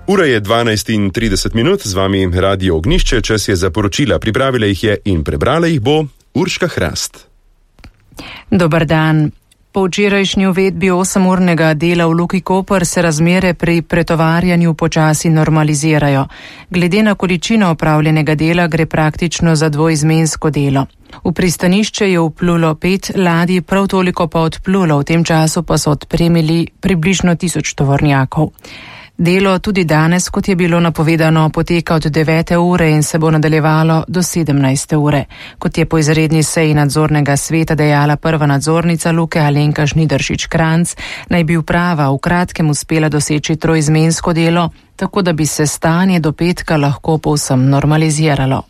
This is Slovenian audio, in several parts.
Ura je 12:30, z vami Radio Ognjišče, čas je za poročila, pripravila jih je in prebrala jih bo Urška Hrast. Dober dan. Po včerajšnji uvedbi 8-urnega dela v Luki Koper se razmere pri pretovarjanju počasi normalizirajo. Glede na količino opravljenega dela gre praktično za dvoizmensko delo. V pristanišče je vplulo 5 ladij, prav toliko pa odplulo, v tem času pa so odpremili približno 1000 tovornjakov. Delo tudi danes, kot je bilo napovedano, poteka od 9. ure in se bo nadaljevalo do 17. ure. Kot je po izredni seji nadzornega sveta dejala prva nadzornica Luke Alenka Žnidaršič-Kranjc, naj bi uprava v kratkem uspela doseči troizmensko delo, tako da bi se stanje do petka lahko povsem normaliziralo.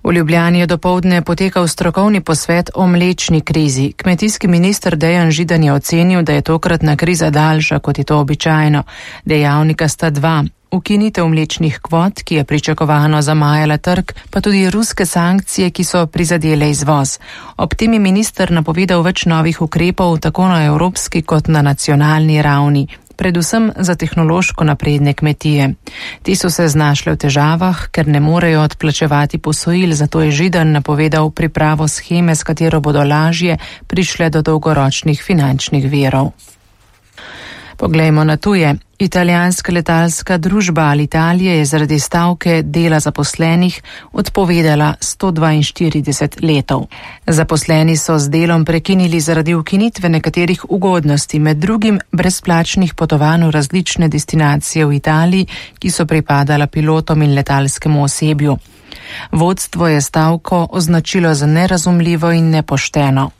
V Ljubljani je dopoldne potekal strokovni posvet o mlečni krizi. Kmetijski minister Dejan Židan je ocenil, da je tokratna kriza daljša, kot je to običajno. Dejavnika sta dva. Ukinitev mlečnih kvot, ki je pričakovano zamajala trg, pa tudi ruske sankcije, ki so prizadele izvoz. Ob tem je minister napovedal več novih ukrepov, tako na evropski kot na nacionalni ravni, predvsem za tehnološko napredne kmetije. Ti so se znašle v težavah, ker ne morejo odplačevati posojil, zato je Židan napovedal pripravo sheme, s katero bodo lažje prišle do dolgoročnih finančnih virov. Poglejmo na tuje. Italijanska letalska družba Alitalia je zaradi stavke dela zaposlenih odpovedala 142 letov. Zaposleni so z delom prekinili zaradi ukinitve nekaterih ugodnosti, med drugim brezplačnih potovanj v različne destinacije v Italiji, ki so pripadala pilotom in letalskemu osebju. Vodstvo je stavko označilo za nerazumljivo in nepošteno.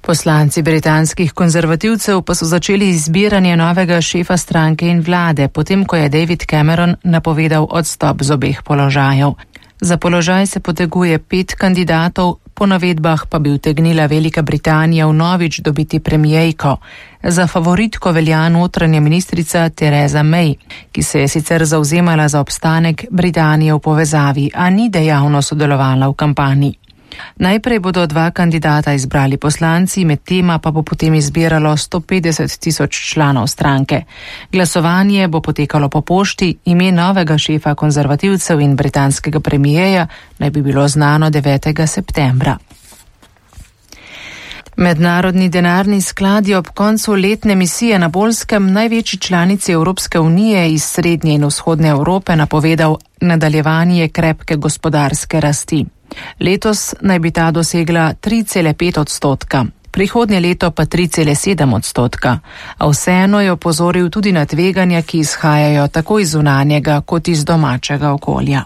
Poslanci britanskih konzervativcev pa so začeli izbiranje novega šefa stranke in vlade, potem ko je David Cameron napovedal odstop z obeh položajev. Za položaj se poteguje 5 kandidatov, po navedbah pa bi utegnila Velika Britanija vnovič dobiti premijejko. Za favoritko velja notranja ministrica Theresa May, ki se je sicer zavzemala za obstanek Britanije v povezavi, a ni dejavno sodelovala v kampanji. Najprej bodo 2 kandidata izbrali poslanci, med tema pa bo potem izbiralo 150 000 članov stranke. Glasovanje bo potekalo po pošti, ime novega šefa konzervativcev in britanskega premijeja naj bi bilo znano 9. septembra. Mednarodni denarni sklad je ob koncu letne misije na Poljskem največji članici Evropske unije iz srednje in vzhodne Evrope napovedal nadaljevanje krepke gospodarske rasti. Letos naj bi ta dosegla 3,5%, prihodnje leto pa 3,7%, a vseeno je opozoril tudi na tveganja, ki izhajajo tako iz zunanjega kot iz domačega okolja.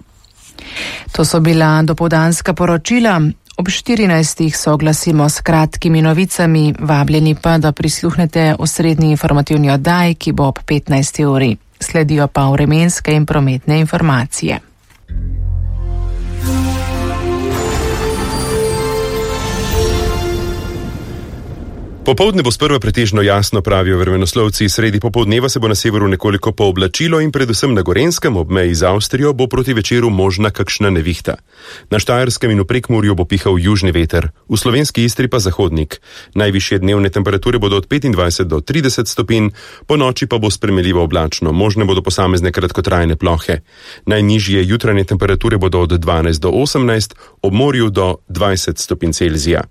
To so bila dopoldanska poročila. Ob 14. se oglasimo s kratkimi novicami, vabljeni pa, da prisluhnete osrednji informativni oddaji, ki bo ob 15. uri. Sledijo pa vremenske in prometne informacije. Popoldne bo sprva pretežno jasno, pravijo vremenoslovci, sredi popoldneva se bo na severu nekoliko pooblačilo in predvsem na Gorenjskem ob meji z Avstrijo bo proti večeru možna kakšna nevihta. Na Štajerskem in v Prekmurju bo pihal južni veter, v slovenski Istri pa zahodnik. Najvišje dnevne temperature bodo od 25 do 30 stopinj, po noči pa bo spremenljivo oblačno, možne bodo posamezne kratkotrajne plohe. Najnižje jutranje temperature bodo od 12 do 18, ob morju do 20 stopinj Celzija.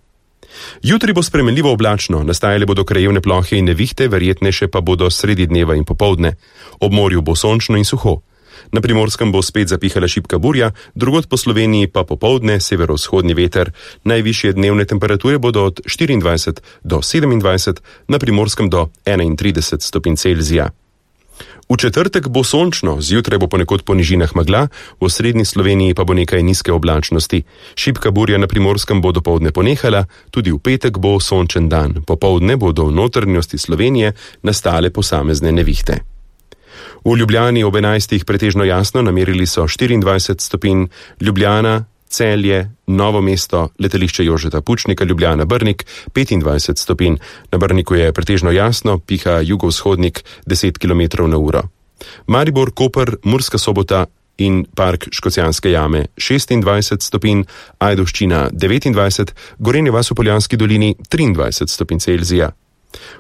Jutri bo spremenljivo oblačno, nastajale bodo krajevne plohe in nevihte, verjetnejše pa bodo sredi dneva in popoldne. Ob morju bo sončno in suho. Na Primorskem bo spet zapihala šibka burja, drugod po Sloveniji pa popoldne severovzhodni veter. Najvišje dnevne temperature bodo od 24 do 27, na Primorskem do 31 stopinj Celzija. V četrtek bo sončno, zjutraj bo ponekod po nižinah megla, v osrednji Sloveniji pa bo nekaj nizke oblačnosti. Šibka burja na Primorskem bo dopoldne ponehala, tudi v petek bo sončen dan. Popoldne bodo v notranjosti Slovenije nastale posamezne nevihte. V Ljubljani ob 11. pretežno jasno, namerili so 24 stopinj, Ljubljana, Celje, Novo mesto, letališče Jožeta Pučnika, Ljubljana, Brnik, 25 stopinj. Na Brniku je pretežno jasno, piha jugovzhodnik 10 km/h. Maribor, Koper, Murska Sobota in Park Škocjanske jame 26 stopinj, Ajdovščina 29, Gorenje vas v Poljanski dolini 23 stopinj Celzija.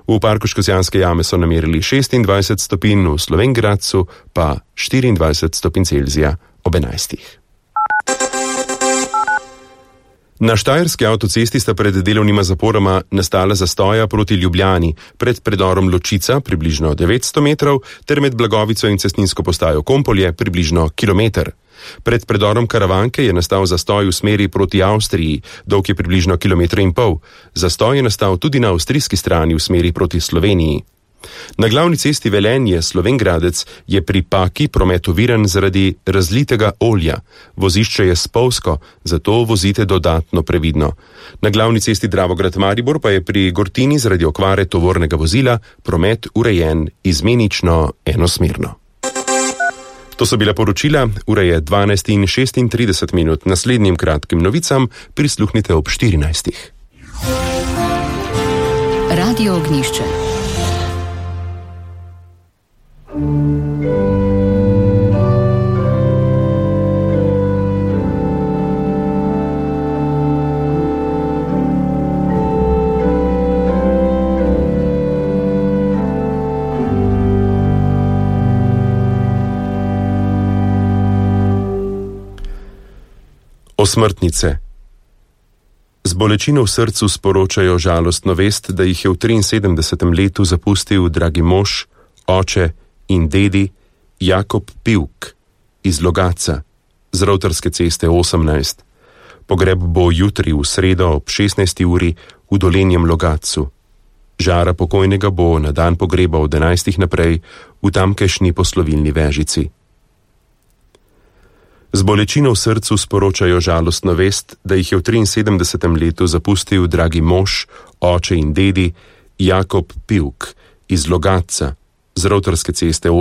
V parku Škocjanske jame so namerili 26 stopinj, v Slovenj Gradcu pa 24 stopinj Celzija ob 11. Na štajerski avtocesti sta pred delovnima zaporama nastala zastoja proti Ljubljani, pred predorom Ločica približno 900 metrov ter med Blagovico in cestninsko postajo Kompolje približno kilometer. Pred predorom Karavanke je nastal zastoj v smeri proti Avstriji, dolg je približno 1,5 km. Zastoj je nastal tudi na avstrijski strani v smeri proti Sloveniji. Na glavni cesti Velenje-Slovenj Gradec je pri Paki promet oviran zaradi razlitega olja. Vozišče je spolzko, zato vozite dodatno previdno. Na glavni cesti Dravograd-Maribor pa je pri Gortini zaradi okvare tovornega vozila promet urejen izmenično enosmerno. To so bila poročila, ura je 12:36. Naslednjim kratkim novicam prisluhnite ob 14. Radio Ognjišče. Osmrtnice. Z bolečino v srcu sporočajo žalostno vest, da jih je v 73. letu zapustil dragi mož, oče in dedi Jakob Pivk iz Logatca z Rovtarske ceste 18. Pogreb bo jutri v sredo ob 16. uri v Dolenjem Logatcu. Žara pokojnega bo na dan pogreba od 11. naprej v tamkajšnji poslovilni Vežici. Z bolečino v srcu sporočajo žalostno vest, da jih je v 73. letu zapustil dragi mož, oče in dedi Jakob Pivk iz Logatca z Rovtarske ceste